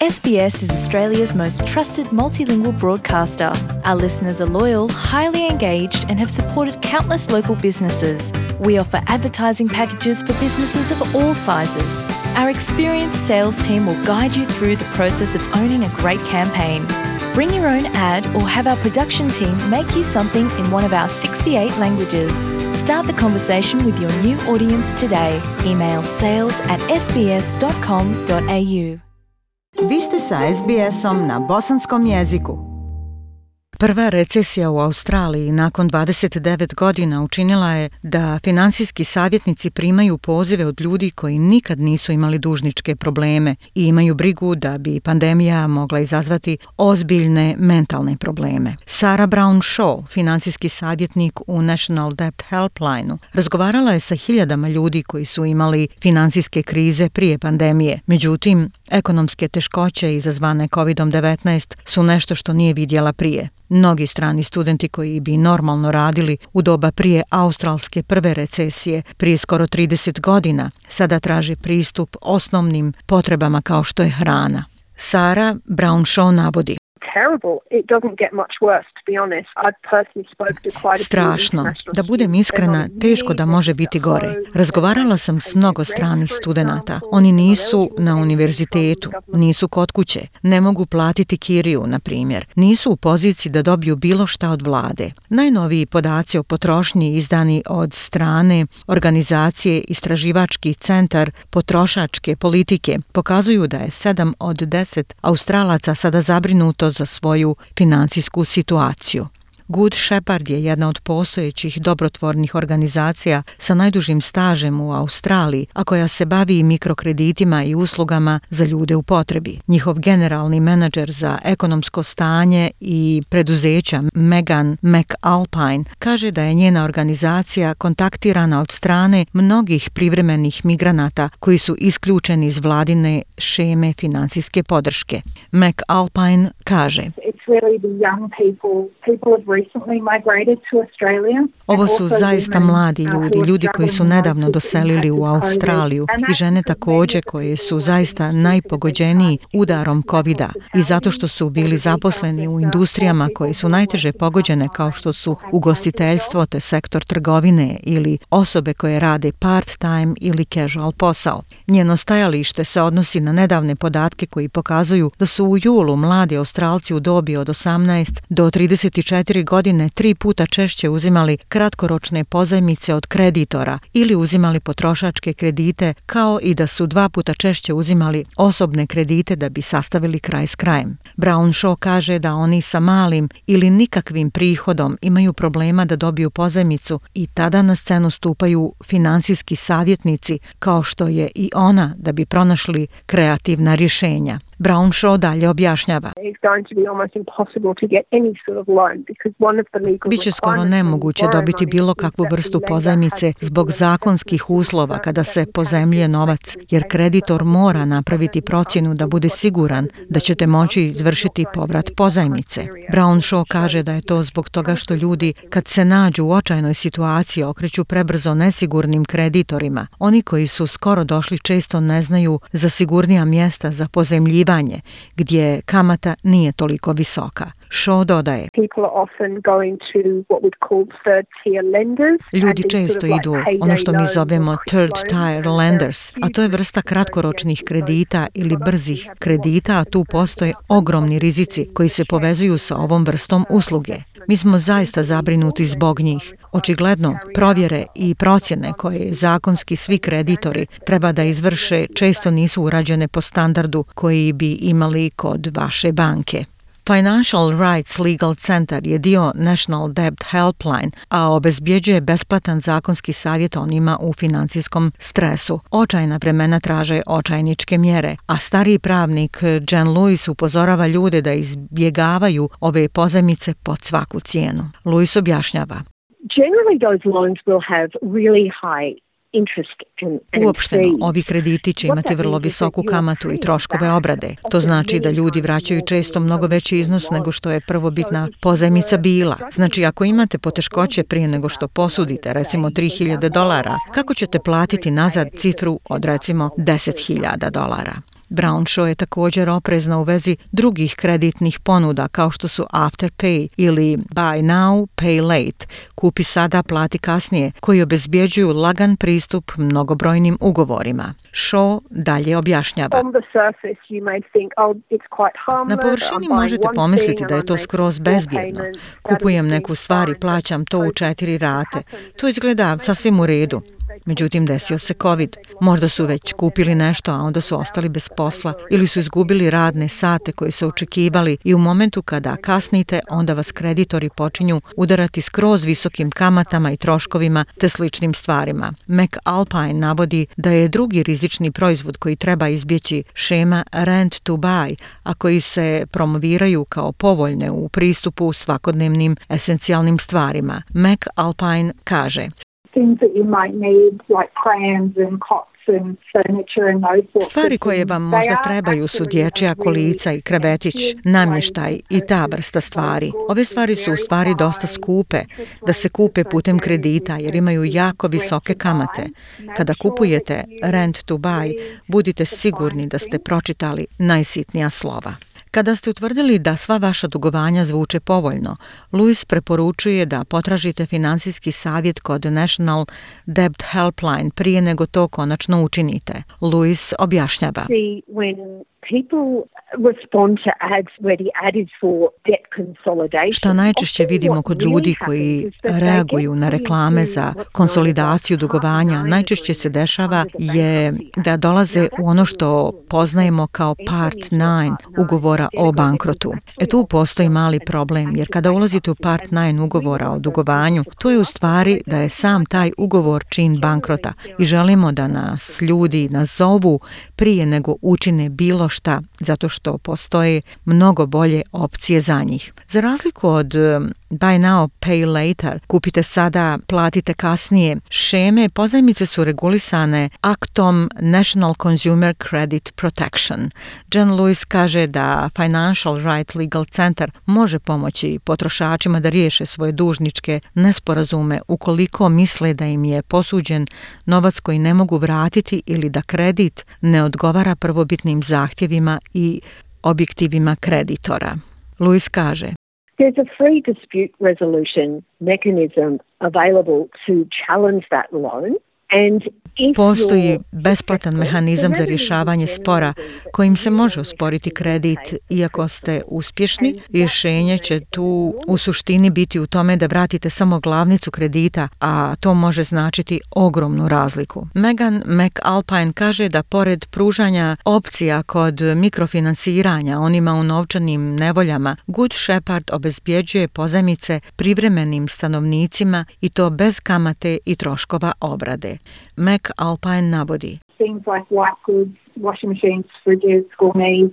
SBS is Australia's most trusted multilingual broadcaster. Our listeners are loyal, highly engaged, and have supported countless local businesses. We offer advertising packages for businesses of all sizes. Our experienced sales team will guide you through the process of owning a great campaign. Bring your own ad or have our production team make you something in one of our 68 languages. Start the conversation with your new audience today. Email sales@sbs.com.au. Vi ste sa SBS-om na bosanskom jeziku. Prva recesija u Australiji nakon 29 godina učinila je da finansijski savjetnici primaju pozive od ljudi koji nikad nisu imali dužničke probleme i imaju brigu da bi pandemija mogla izazvati ozbiljne mentalne probleme. Sarah Brown-Shaw, finansijski savjetnik u National Debt Helpline-u, razgovarala je sa hiljadama ljudi koji su imali finansijske krize prije pandemije. Međutim, ekonomske teškoće izazvane COVID-19 su nešto što nije vidjela prije. Mnogi strani studenti koji bi normalno radili u doba prije australske prve recesije, prije skoro 30 godina, sada traže pristup osnovnim potrebama kao što je hrana. Sarah Brown-Shaw navodi: strašno. Da budem iskrena, teško da može biti gore. Razgovarala sam s mnogo stranih studenata. Oni nisu na univerzitetu, nisu kod kuće, ne mogu platiti kiriju, na primjer. Nisu u poziciji da dobiju bilo šta od vlade. Najnoviji podaci o potrošnji izdani od strane organizacije Istraživački centar potrošačke politike pokazuju da je 7 od 10 Australaca sada zabrinuto za svoju financijsku situaciju. Good Shepherd je jedna od postojećih dobrotvornih organizacija sa najdužim stažem u Australiji, a koja se bavi mikrokreditima i uslugama za ljude u potrebi. Njihov generalni menadžer za ekonomsko stanje i preduzeća Megan McAlpine kaže da je njena organizacija kontaktirana od strane mnogih privremenih migranata koji su isključeni iz vladine šeme financijske podrške. McAlpine kaže: ovo su zaista mladi ljudi, ljudi koji su nedavno doselili u Australiju i žene također koje su zaista najpogođeniji udarom COVID-a i zato što su bili zaposleni u industrijama koje su najteže pogođene kao što su ugostiteljstvo te sektor trgovine ili osobe koje rade part-time ili casual posao. Njeno stajalište se odnosi na nedavne podatke koji pokazuju da su u julu mladi Australci u dobi od 18 do 34 godine 3 puta češće uzimali kratkoročne pozajmice od kreditora ili uzimali potrošačke kredite, kao i da su 2 puta češće uzimali osobne kredite da bi sastavili kraj s krajem. Brown-Shaw kaže da oni sa malim ili nikakvim prihodom imaju problema da dobiju pozajmicu i tada na scenu stupaju finansijski savjetnici kao što je i ona da bi pronašli kreativna rješenja. Brown-Shaw dalje objašnjava: biće skoro nemoguće dobiti bilo kakvu vrstu pozajmice zbog zakonskih uslova kada se pozajmljuje novac, jer kreditor mora napraviti procjenu da bude siguran da ćete moći izvršiti povrat pozajmice. Brown-Shaw kaže da je to zbog toga što ljudi kad se nađu u očajnoj situaciji okreću prebrzo nesigurnim kreditorima. Oni koji su skoro došli često ne znaju za sigurnija mjesta za pozajmljivanje gdje kamata nije toliko visoka. Shaw dodaje: ljudi često idu ono što mi zovemo third tier lenders, a to je vrsta kratkoročnih kredita ili brzih kredita, a tu postoje ogromni rizici koji se povezuju sa ovom vrstom usluge. Mi smo zaista zabrinuti zbog njih. Očigledno, provjere i procjene koje zakonski svi kreditori treba da izvrše često nisu urađene po standardu koji bi imali kod vaše banke. Financial Rights Legal Center je dio National Debt Helpline, a obezbjeđuje besplatan zakonski savjet onima u financijskom stresu. Očajna vremena traže očajničke mjere, a stariji pravnik Jen Lewis upozorava ljude da izbjegavaju ove pozajmice pod svaku cijenu. Lewis objašnjava: generally those loans will have really high uopšteno, ovi krediti će imati vrlo visoku kamatu i troškove obrade. To znači da ljudi vraćaju često mnogo veći iznos nego što je prvobitna pozajmica bila. Znači, ako imate poteškoće prije nego što posudite, recimo $3,000, kako ćete platiti nazad cifru od recimo $10,000? Brownshaw je također oprezna u vezi drugih kreditnih ponuda kao što su Afterpay ili Buy Now, Pay Late, kupi sada, plati kasnije, koji obezbjeđuju lagan pristup mnogobrojnim ugovorima. Shaw dalje objašnjava. Na površini možete pomisliti da je to skroz bezbjedno. Kupujem neku stvar i plaćam to u 4 rate. To izgleda sasvim u redu. Međutim, desio se COVID. Možda su već kupili nešto, a onda su ostali bez posla ili su izgubili radne sate koje su očekivali i u momentu kada kasnite, onda vas kreditori počinju udarati skroz visokim kamatama i troškovima te sličnim stvarima. McAlpine navodi da je drugi rizični proizvod koji treba izbjeći šema Rent to Buy, a koji se promoviraju kao povoljne u pristupu svakodnevnim esencijalnim stvarima. McAlpine kaže: stvari koje vam možda trebaju su dječja kolica i krevetić, namještaj i ta vrsta stvari. Ove stvari su u stvari dosta skupe da se kupe putem kredita jer imaju jako visoke kamate. Kada kupujete Rent to Buy, budite sigurni da ste pročitali najsitnija slova. Kada ste utvrdili da sva vaša dugovanja zvuče povoljno, Lewis preporučuje da potražite finansijski savjet kod National Debt Helpline prije nego to konačno učinite. Lewis objašnjava. Šta najčešće vidimo kod ljudi koji reaguju na reklame za konsolidaciju dugovanja, najčešće se dešava je da dolaze u ono što poznajemo kao Part 9 ugovora o bankrotu. Tu postoji mali problem, jer kada ulazite u Part 9 ugovora o dugovanju, to je u stvari da je sam taj ugovor čin bankrota i želimo da nas ljudi nazovu prije nego učine bilo šta, zato što postoje mnogo bolje opcije za njih. Za razliku od Buy Now, Pay Later, kupite sada, platite kasnije, šeme pozajmice su regulisane aktom National Consumer Credit Protection. Jen Lewis kaže da Financial Right Legal Center može pomoći potrošačima da riješe svoje dužničke nesporazume ukoliko misle da im je posuđen novac koji ne mogu vratiti ili da kredit ne odgovara prvobitnim zahtjevima i objektivima kreditora. Lewis kaže: There's a free dispute resolution mechanism available to challenge that loan. Postoji besplatan mehanizam za rješavanje spora kojim se može osporiti kredit. Iako ste uspješni, rješenje će tu u suštini biti u tome da vratite samo glavnicu kredita, a to može značiti ogromnu razliku. Megan McAlpine kaže da pored pružanja opcija kod mikrofinansiranja onima u novčanim nevoljama, Good Shepherd obezbjeđuje pozajmice privremenim stanovnicima i to bez kamate i troškova obrade. McAlpine navodi: things like white goods, washing machines, fridges, gourmet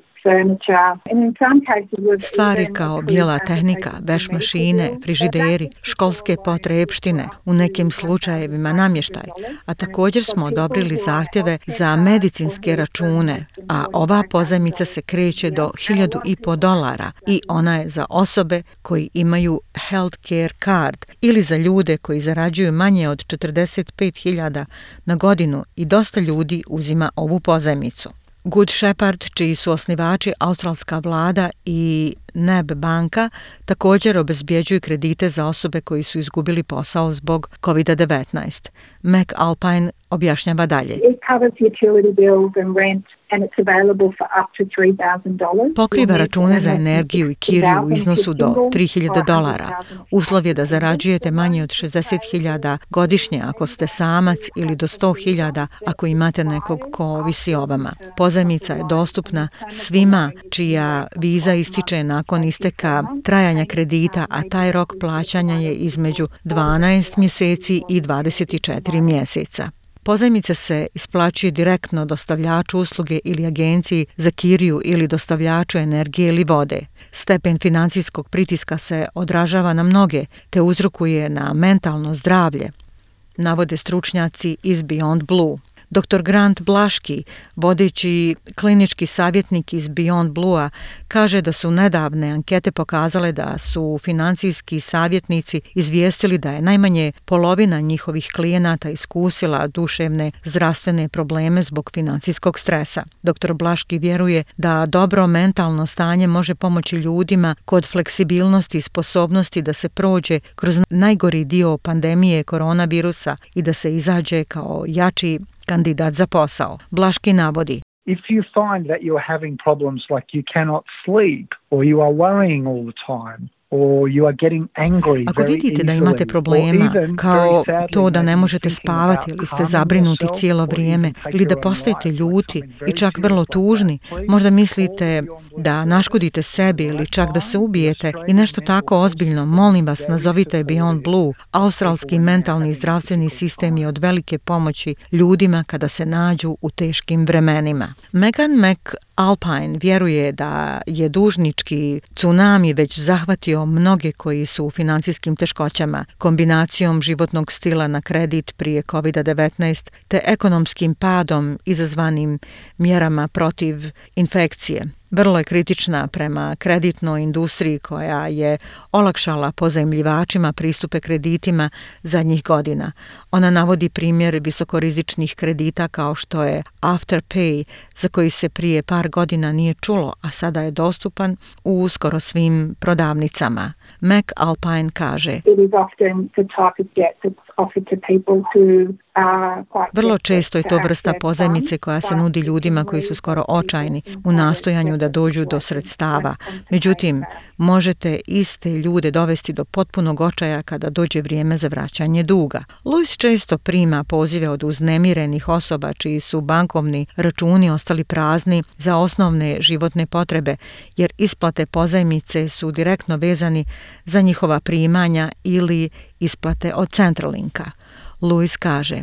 stvari kao bijela tehnika, veš mašine, frižideri, školske potrepštine, u nekim slučajevima namještaj, a također smo odobrili zahtjeve za medicinske račune, a ova pozajmica se kreće do $1.500 i ona je za osobe koji imaju healthcare card ili za ljude koji zarađuju manje od 45.000 na godinu i dosta ljudi uzima ovu pozajmicu. Good Shepherd, čiji su osnivači australska vlada i NAB banka, također obezbjeđuju kredite za osobe koji su izgubili posao zbog COVID-19. McAlpine objašnjava dalje. Pokriva račune za energiju i kiriju u iznosu do $3.000. Uslov je da zarađujete manje od 60.000 godišnje ako ste samac ili do 100.000 ako imate nekog ko ovisi o vama. Pozajmica je dostupna svima čija viza ističe nakon isteka trajanja kredita, a taj rok plaćanja je između 12 mjeseci i 24 mjeseca. Pozajmica se isplaćuje direktno dostavljaču usluge ili agenciji za kiriju ili dostavljaču energije ili vode. Stepen financijskog pritiska se odražava na mnoge te uzrokuje na mentalno zdravlje, navode stručnjaci iz Beyond Blue. Dr. Grant Blaški, vodeći klinički savjetnik iz Beyond Blue-a, kaže da su nedavne ankete pokazale da su financijski savjetnici izvijestili da je najmanje polovina njihovih klijenata iskusila duševne zdravstvene probleme zbog financijskog stresa. Dr. Blaški vjeruje da dobro mentalno stanje može pomoći ljudima kod fleksibilnosti i sposobnosti da se prođe kroz najgori dio pandemije koronavirusa i da se izađe kao jači kandidat za posao. Blaški navodi: If you find that you're having problems like you cannot sleep or you are worrying all the time, ako vidite da imate problema, kao to da ne možete spavati ili ste zabrinuti cijelo vrijeme ili da postajete ljuti i čak vrlo tužni, možda mislite da naškodite sebi ili čak da se ubijete i nešto tako ozbiljno, molim vas, nazovite Beyond Blue. Australski mentalni i zdravstveni sistem je od velike pomoći ljudima kada se nađu u teškim vremenima. Megan McAlpine vjeruje da je dužnički tsunami već zahvatio mnoge koji su u financijskim teškoćama, kombinacijom životnog stila na kredit prije COVID-19 te ekonomskim padom izazvanim mjerama protiv infekcije. Vrlo je kritična prema kreditnoj industriji koja je olakšala pozajmljivačima pristupe kreditima zadnjih godina. Ona navodi primjer visokorizičnih kredita kao što je Afterpay, za koji se prije par godina nije čulo, a sada je dostupan u skoro svim prodavnicama. McAlpine kaže: vrlo često je to vrsta pozajmice koja se nudi ljudima koji su skoro očajni u nastojanju da dođu do sredstava. Međutim, možete iste ljude dovesti do potpunog očaja kada dođe vrijeme za vraćanje duga. Louis često prima pozive od uznemirenih osoba čiji su bankovni računi ostali prazni za osnovne životne potrebe, jer isplate pozajmice su direktno vezani za njihova primanja ili isplate od Centralinka. Louis kaže: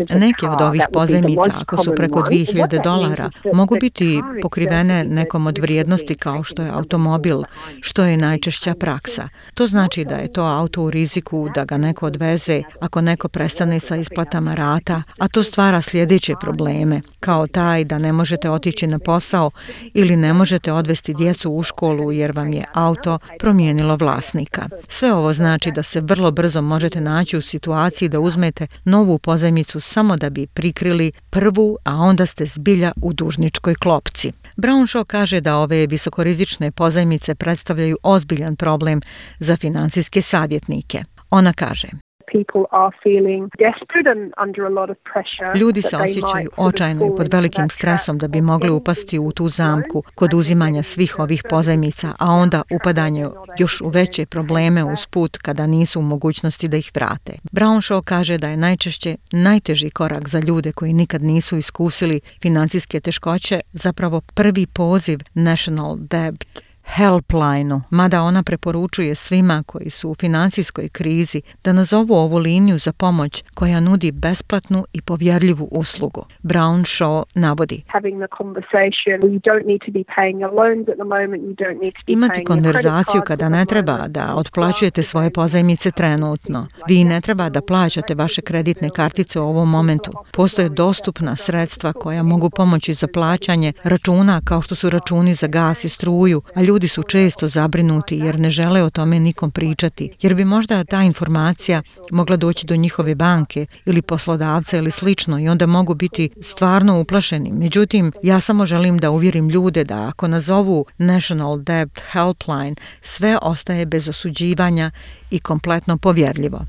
neke od ovih pozajmica, ako su preko $2,000, mogu biti pokrivene nekom od vrijednosti kao što je automobil, što je najčešća praksa. To znači da je to auto u riziku da ga neko odveze ako neko prestane sa isplatama rata, a to stvara sljedeće probleme, kao taj da ne možete otići na posao ili ne možete odvesti djecu u školu jer vam je auto promijenilo vlasnika. Sve ovo znači da se vrlo brzo možete naći u situaciji da uzmete novu pozajmicu samo da bi prikrili prvu, a onda ste zbilja u dužničkoj klopci. Brownshaw kaže da ove visokorizične pozajmice predstavljaju ozbiljan problem za financijske savjetnike. Ona kaže: ljudi se osjećaju očajno i pod velikim stresom da bi mogli upasti u tu zamku kod uzimanja svih ovih pozajmica, a onda upadanje još u veće probleme usput kada nisu u mogućnosti da ih vrate. Brownshaw kaže da je najčešće najteži korak za ljude koji nikad nisu iskusili financijske teškoće zapravo prvi poziv National Debt Helpline-u, mada ona preporučuje svima koji su u financijskoj krizi da nazovu ovu liniju za pomoć koja nudi besplatnu i povjerljivu uslugu. Brownshaw navodi: imati konverzaciju kada ne treba da otplaćujete svoje pozajmice trenutno. Vi ne treba da plaćate vaše kreditne kartice u ovom momentu. Postoje dostupna sredstva koja mogu pomoći za plaćanje računa kao što su računi za gas i struju, a ljudi su često zabrinuti jer ne žele o tome nikom pričati, jer bi možda ta informacija mogla doći do njihove banke ili poslodavca ili slično i onda mogu biti stvarno uplašeni. Međutim, ja samo želim da uvjerim ljude da ako nazovu National Debt Helpline, sve ostaje bez osuđivanja i kompletno povjerljivo.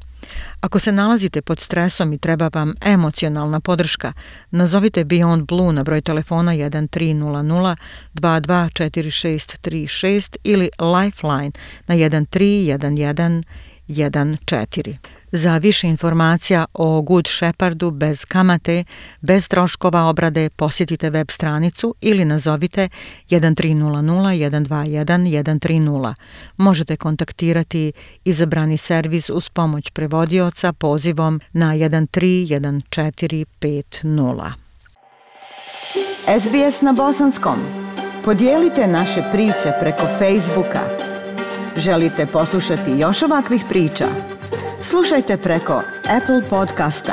Ako se nalazite pod stresom i treba vam emocionalna podrška, nazovite Beyond Blue na broj telefona 1300 224636 ili Lifeline na 131114. Za više informacija o Good Shepherdu bez kamate, bez troškova obrade, posjetite web stranicu ili nazovite 1300 121 130. Možete kontaktirati izabrani servis uz pomoć prevodioca pozivom na 131450. SBS na bosanskom. Podijelite naše priče preko Facebooka. Želite poslušati još ovakvih priča? Slušajte preko Apple podcasta,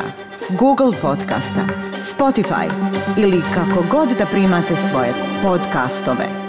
Google podcasta, Spotify ili kako god da primate svoje podcastove.